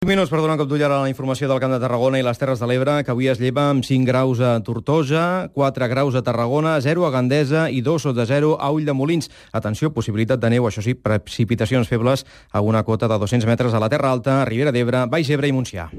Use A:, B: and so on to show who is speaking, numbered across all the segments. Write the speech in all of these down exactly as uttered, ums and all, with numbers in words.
A: cinc minuts per donar un cop d'ull ara a la informació del Camp de Tarragona i les Terres de l'Ebre, que avui es lleva amb cinc graus a Tortosa, quatre graus a Tarragona, zero a Gandesa i dos sota zero a Ulldemolins. Atenció, possibilitat de neu, això sí, precipitacions febles a una cota de dos-cents metres a la Terra Alta, Ribera d'Ebre, Baix Ebre i Montsià.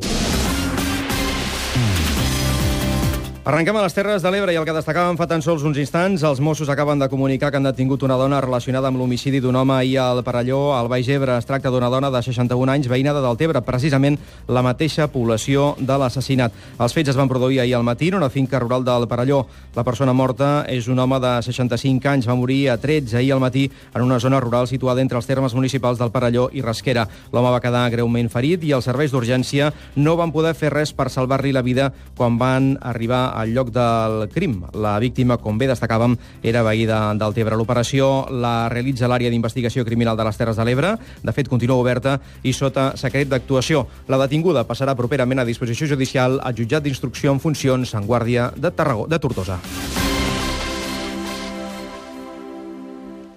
A: Arrenquem a les Terres de l'Ebre i el que destacàvem fa tan sols uns instants. Els Mossos acaben de comunicar que han detingut una dona relacionada amb l'homicidi d'un home ahir al Perelló, al Baix Ebre. Es tracta d'una dona de seixanta-un anys, veïna de Deltebre, precisament la mateixa població de l'assassinat. Els fets es van produir ahir al matí en una finca rural del Perelló. La persona morta és un home de seixanta-cinc anys, va morir a trets ahir al matí en una zona rural situada entre els termes municipals del Perelló i Rasquera. L'home va quedar greument ferit i els serveis d'urgència no van poder fer res per salvar-li la vida quan van arribar al lloc del crim. La víctima, com bé destacàvem, era veí de Deltebre. L'operació la realitza l'àrea d'investigació criminal de les Terres de l'Ebre. De fet, continua oberta i sota secret d'actuació. La detinguda passarà properament a disposició judicial al jutjat d'instrucció en funcions en Guàrdia de, Tarragó, de Tortosa.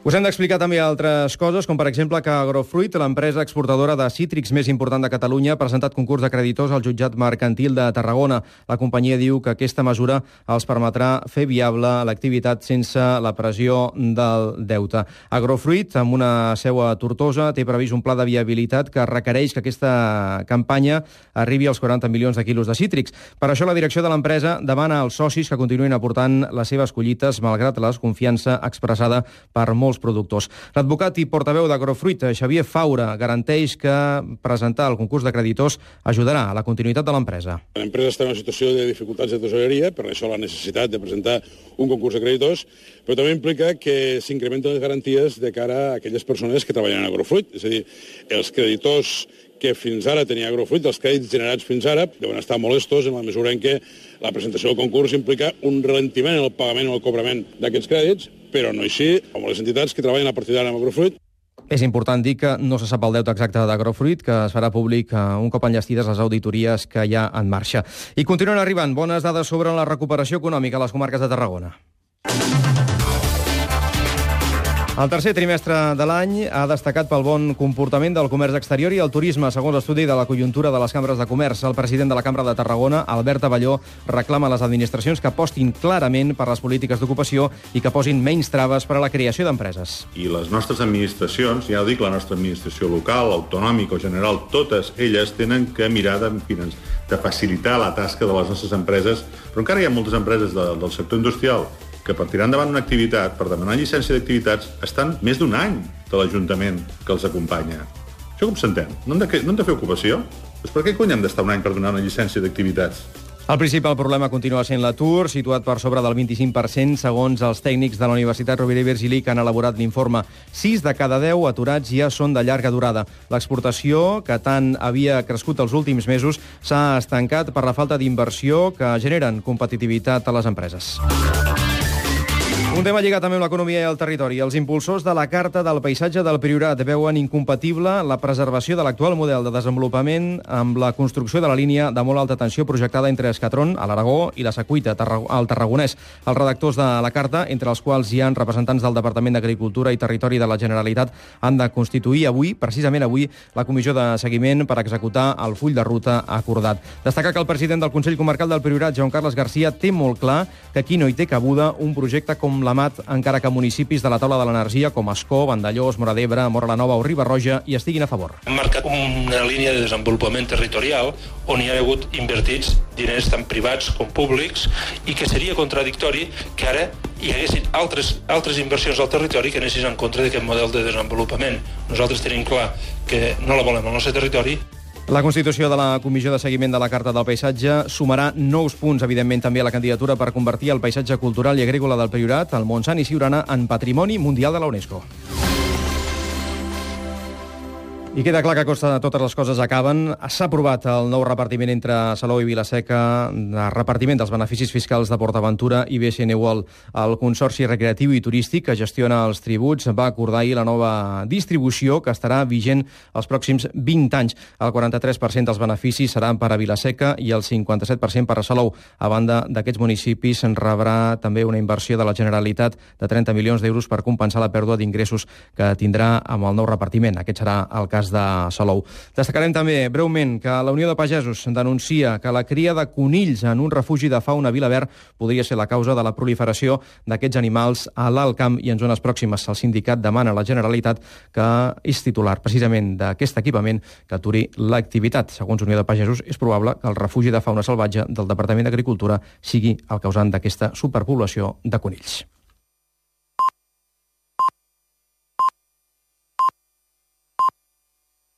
A: Us hem d'explicar també altres coses, com per exemple que Agrofruit, l'empresa exportadora de cítrics més important de Catalunya, ha presentat concurs de creditors al jutjat mercantil de Tarragona. La companyia diu que aquesta mesura els permetrà fer viable l'activitat sense la pressió del deute. Agrofruit, amb una seu a Tortosa, té previst un pla de viabilitat que requereix que aquesta campanya arribi als quaranta milions de quilos de cítrics. Per això la direcció de l'empresa demana als socis que continuïn aportant les seves collites, malgrat la desconfiança expressada per molts productors. L'advocat i portaveu d'Agrofruit, Xavier Faura, garanteix que presentar el concurs de creditors ajudarà a la continuïtat de l'empresa.
B: L'empresa està en una situació de dificultats de tesoreria, per això la necessitat de presentar un concurs de creditors, però també implica que s'incrementen les garanties de cara a aquelles persones que treballen en Agrofruit. És a dir, els creditors que fins ara tenia Agrofruit, els crèdits generats fins ara, deuen estar molestos en la mesura en què la presentació del concurs implica un ralentiment en el pagament o el cobrament d'aquests crèdits, però no així amb les entitats que treballen a partir d'ara amb Agrofruit.
A: És important dir que no se sap el deute exacte d'Agrofruit, que es farà públic un cop enllestides les auditories que hi ha en marxa. I continuen arribant bones dades sobre la recuperació econòmica a les comarques de Tarragona. El tercer trimestre de l'any ha destacat pel bon comportament del comerç exterior i el turisme, segons l'estudi de la conjuntura de les cambres de comerç. El president de la Cambra de Tarragona, Albert Abelló, reclama a les administracions que apostin clarament per les polítiques d'ocupació i que posin menys traves per a la creació d'empreses.
C: I les nostres administracions, ja ho dic, la nostra administració local, autonòmica o general, totes elles tenen que mirar de, de facilitar la tasca de les nostres empreses, però encara hi ha moltes empreses de, del sector industrial que per tirar endavant una activitat, per demanar llicència d'activitats, estan més d'un any de l'Ajuntament que els acompanya. Això com s'entén? No, no hem de fer ocupació? Doncs per què cony hem d'estar un any per donar una llicència d'activitats?
A: El principal problema continua sent l'atur, situat per sobre del vint-i-cinc per cent, segons els tècnics de la Universitat Rovira i Virgili que han elaborat l'informe. Sis de cada deu aturats ja són de llarga durada. L'exportació, que tant havia crescut els últims mesos, s'ha estancat per la falta d'inversió que generen competitivitat a les empreses. Un tema lligat també amb l'economia i el territori. Els impulsors de la Carta del Paisatge del Priorat veuen incompatible la preservació de l'actual model de desenvolupament amb la construcció de la línia de molt alta tensió projectada entre Escatron, a l'Aragó, i la Secuita, al Tarragonès. Els redactors de la Carta, entre els quals hi ha representants del Departament d'Agricultura i Territori de la Generalitat, han de constituir avui, precisament avui, la comissió de seguiment per executar el full de ruta acordat. Destacar que el president del Consell Comarcal del Priorat, Joan Carles Garcia, té molt clar que aquí no hi té cabuda un projecte com l'Amat, encara que municipis de la taula de l'energia com Ascó, Vandellós, Móra d'Ebre, Móra la Nova o Riba-roja hi estiguin a favor.
D: Hem marcat una línia de desenvolupament territorial on hi ha hagut invertits diners tant privats com públics i que seria contradictori que ara hi haguessin altres, altres inversions al territori que anessin en contra d'aquest model de desenvolupament. Nosaltres tenim clar que no la volem al nostre territori.
A: La constitució de la Comissió de Seguiment de la Carta del Paisatge sumarà nous punts, evidentment, també a la candidatura per convertir el paisatge cultural i agrícola del Priorat, el Montsant i Siurana, en Patrimoni Mundial de la UNESCO. I queda clar que a costa de totes les coses acaben. S'ha aprovat el nou repartiment entre Salou i Vila-seca, de repartiment dels beneficis fiscals de PortAventura i B S N World. El Consorci Recreatiu i Turístic, que gestiona els tributs, va acordar ahir la nova distribució que estarà vigent els pròxims vint anys. El quaranta-tres per cent dels beneficis seran per a Vila-seca i el cinquanta-set per cent per a Salou. A banda d'aquests municipis, en rebrà també una inversió de la Generalitat de trenta milions d'euros per compensar la pèrdua d'ingressos que tindrà amb el nou repartiment. Aquest serà el cas cas de Salou. Destacarem també, breument, que la Unió de Pagesos denuncia que la cria de conills en un refugi de fauna a Vilaverd podria ser la causa de la proliferació d'aquests animals a l'Alt Camp i en zones pròximes. El sindicat demana a la Generalitat, que és titular precisament d'aquest equipament, que aturi l'activitat. Segons Unió de Pagesos, és probable que el refugi de fauna salvatge del Departament d'Agricultura sigui el causant d'aquesta superpoblació de conills.